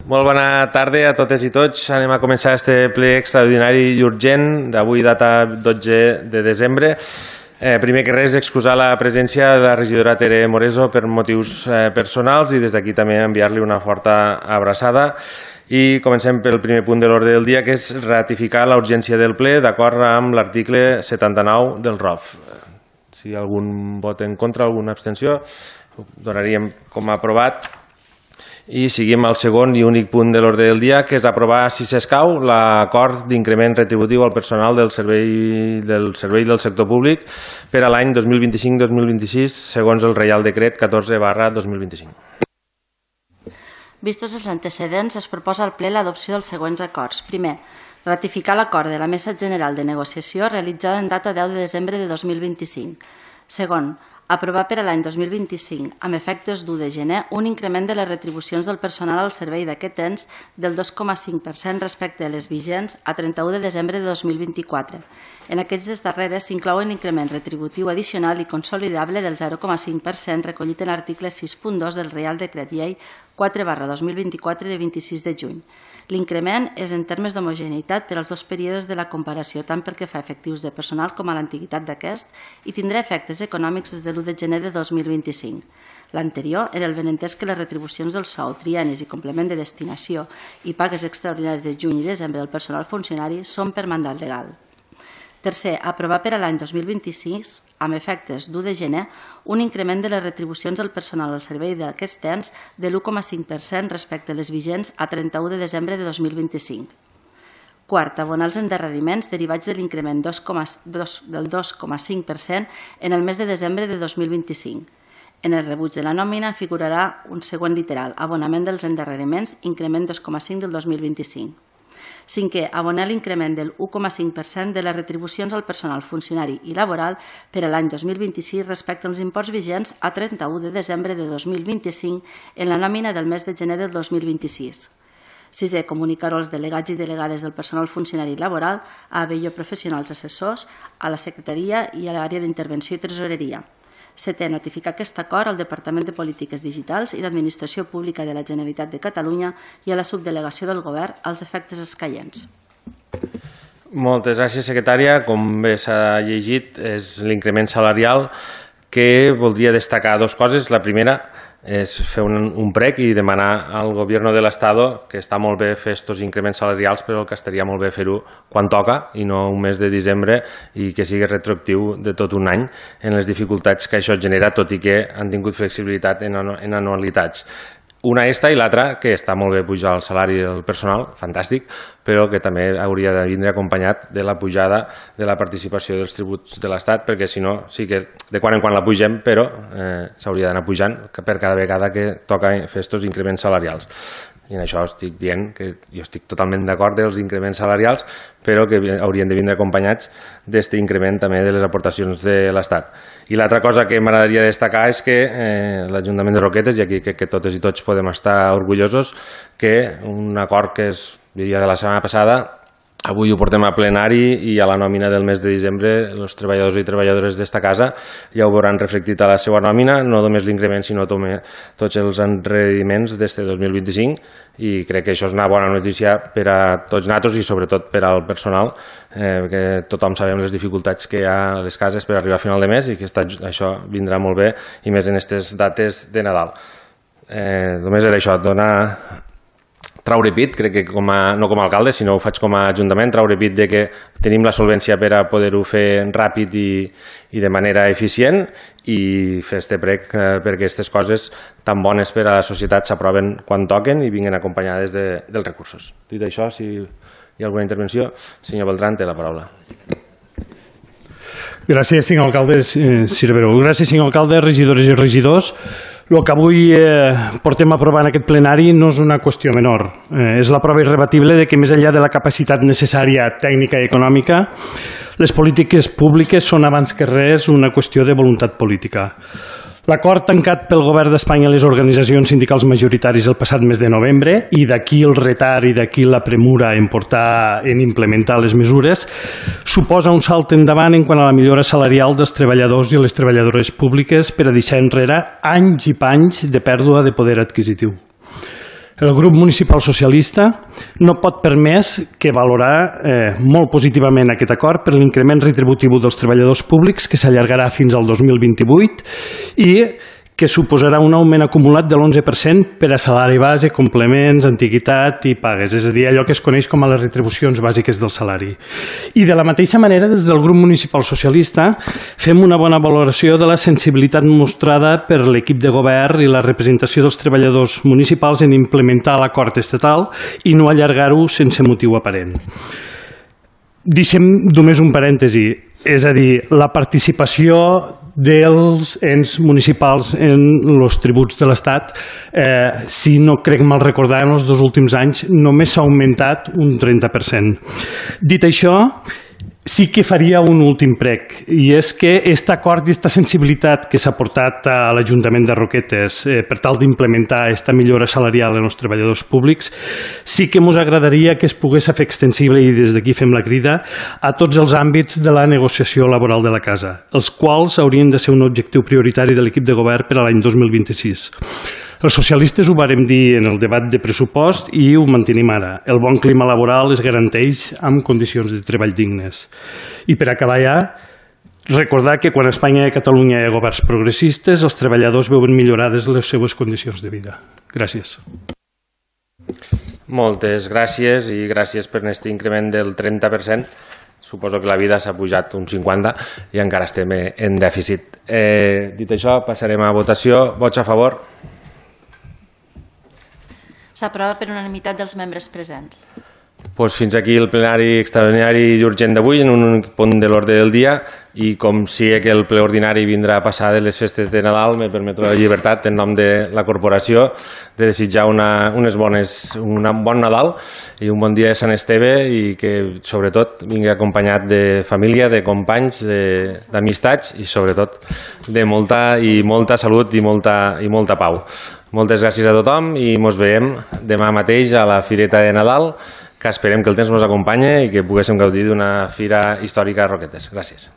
Molt bona tarda a totes i tots. Anem a començar este ple extraordinari i urgent d'avui, data 12 de desembre. Primer que res, excusar la presència de la regidora Tere Moreso per motius personals i des d'aquí també enviar-li una forta abraçada. I comencem pel primer punt de l'ordre del dia, que és ratificar la urgència del ple d'acord amb l'article 79 del ROF. Si hi ha algun vot en contra, alguna abstenció, ho donaríem com a aprovat. I seguim al segon i únic punt de l'ordre del dia, que és aprovar, si s'escau, l'acord d'increment retributiu al personal del servei del sector públic per a l'any 2025-2026, segons el Reial Decret 14/2025. Vistos els antecedents, es proposa al ple l'adopció dels següents acords. Primer, ratificar l'acord de la Mesa General de Negociació realitzada en data 10 de desembre de 2025. Segon, aprovar per a l'any 2025, amb efectes d'1 de gener, un increment de les retribucions del personal al servei d'aquest ens del 2,5% respecte a les vigents a 31 de desembre de 2024. En aquestes darreres s'inclouen l'increment retributiu addicional i consolidable del 0,5% recollit en l'article 6.2 del Reial Decret Llei 4/2024 de 26 de juny. L'increment és en termes d'homogeneïtat per als dos períodes de la comparació, tant pel que fa a efectius de personal com a l'antiguitat d'aquest, i tindrà efectes econòmics des de l'1 de gener de 2025. L'anterior era el benentès que les retribucions del sou, triennis i complement de destinació i pagues extraordinàries de juny i desembre del personal funcionari són per mandat legal. Tercer, aprovar per a l'any 2026, amb efectes d'1 de gener, un increment de les retribucions del personal al servei d'aquest ens de l'1,5% respecte a les vigents a 31 de desembre de 2025. Quart, abonar els endarreriments derivats de l'increment del 2,5% en el mes de desembre de 2025. En el rebuig de la nòmina figurarà un següent literal, abonament dels endarreriments, increment 2,5 del 2025. Cinquè, abonar l'increment del 1,5% de les retribucions al personal funcionari i laboral per a l'any 2026 respecte als imports vigents a 31 de desembre de 2025 en la nòmina del mes de gener del 2026. Sisè, comunicar-ho als delegats i delegades del personal funcionari i laboral, a ABIO professionals assessors, a la secretaria i a l'àrea d'intervenció i tresoreria. Setè, notificar aquest acord al Departament de Polítiques Digitals i d'Administració Pública de la Generalitat de Catalunya i a la subdelegació del Govern als efectes escaients. Moltes gràcies, secretària. Com bé s'ha llegit, és l'increment salarial, que voldria destacar dues coses. La primera és fer un prec i demanar al Gobierno de l'Estado, que està molt bé fer aquests increments salarials, però que estaria molt bé fer-ho quan toca i no un mes de desembre, i que sigui retroactiu de tot un any en les dificultats que això genera, tot i que han tingut flexibilitat en anualitats. Una esta i l'altra, que està molt bé pujar el salari del personal, fantàstic, però que també hauria de vindre acompanyat de la pujada de la participació dels tributs de l'Estat, perquè si no, sí que de quan en quan la pugem, però s'hauria d'anar pujant per cada vegada que toca fer aquests increments salarials. I en això estic dient que jo estic totalment d'acord dels increments salarials, però que haurien de vindre acompanyats d'aquest increment també de les aportacions de l'Estat. I l'altra cosa que m'agradaria destacar és que l'Ajuntament de Roquetes, i aquí crec que totes i tots podem estar orgullosos, que un acord que es vivia de la setmana passada, avui ho portem a plenari i a la nòmina del mes de desembre els treballadors i treballadores d'esta casa ja ho veuran reflectit a la seva nòmina, no només l'increment sinó també tots els endarreriments d'este 2025, i crec que això és una bona notícia per a tots nosaltres i sobretot per al personal, que tothom sabem les dificultats que hi ha a les cases per arribar a final de mes i que això vindrà molt bé, i més en aquestes dates de Nadal. Només era això, traure pit, crec que no com a alcalde, sinó ho faig com a ajuntament, traure pit de que tenim la solvència per a poder-ho fer ràpid i de manera eficient, i fer este prec perquè aquestes coses tan bones per a la societat s'aproven quan toquen i vinguin acompanyades dels recursos. Dit això, si hi ha alguna intervenció, senyor Beltrán, té la paraula. Gràcies, senyor alcalde Cirveró. Gràcies, senyor alcalde, regidores i regidors. El que avui portem a aprovar en aquest plenari no és una qüestió menor. És la prova irrebatible de que més enllà de la capacitat necessària tècnica i econòmica, les polítiques públiques són abans que res una qüestió de voluntat política. L'acord tancat pel Govern d'Espanya i les organitzacions sindicals majoritaris el passat mes de novembre, i d'aquí el retard i d'aquí la premura en implementar les mesures, suposa un salt endavant en quant a la millora salarial dels treballadors i les treballadores públiques per a deixar enrere anys i panys de pèrdua de poder adquisitiu. El grup municipal socialista no pot permès que valorar molt positivament aquest acord per l'increment retributiu dels treballadors públics que s'allargarà fins al 2028 i que suposarà un augment acumulat de l'11% per a salari base, complements, antiguitat i pagues, és a dir, allò que es coneix com a les retribucions bàsiques del salari. I de la mateixa manera, des del grup municipal socialista, fem una bona valoració de la sensibilitat mostrada per l'equip de govern i la representació dels treballadors municipals en implementar l'acord estatal i no allargar-ho sense motiu aparent. Deixem només un parèntesi, és a dir, la participació dels ens municipals en els tributs de l'Estat, si no crec mal recordar, en els 2 últims anys només s'ha augmentat un 30%. Dit això, sí que faria un últim prec, i és que aquest acord i aquesta sensibilitat que s'ha portat a l'Ajuntament de Roquetes per tal d'implementar aquesta millora salarial en els treballadors públics, sí que ens agradaria que es pogués fer extensible, i des d'aquí fem la crida, a tots els àmbits de la negociació laboral de la casa, els quals haurien de ser un objectiu prioritari de l'equip de govern per a l'any 2026. Els socialistes ho vàrem dir en el debat de pressupost i ho mantenim ara. El bon clima laboral es garanteix amb condicions de treball dignes. I per acabar ja, recordar que quan a Espanya i a Catalunya hi ha governs progressistes, els treballadors veuen millorades les seves condicions de vida. Gràcies. Moltes gràcies i gràcies per aquest increment del 30%. Suposo que la vida s'ha pujat un 50% i encara estem en dèficit. Dit això, passarem a votació. Vots a favor? S'aprova per unanimitat dels membres presents. Fins aquí el plenari extraordinari i urgent d'avui en un únic punt de l'ordre del dia, i com sé que el ple ordinari vindrà a passar de les festes de Nadal, me permeto la llibertat en nom de la corporació de desitjar un bon Nadal i un bon dia de Sant Esteve, i que sobretot vingui acompanyat de família, de companys, d'amistats i sobretot de molta salut i molta pau. Moltes gràcies a tothom i ens veiem demà mateix a la Fireta de Nadal, que esperem que el temps ens acompanyi i que poguéssim gaudir d'una fira històrica a Roquetes. Gràcies.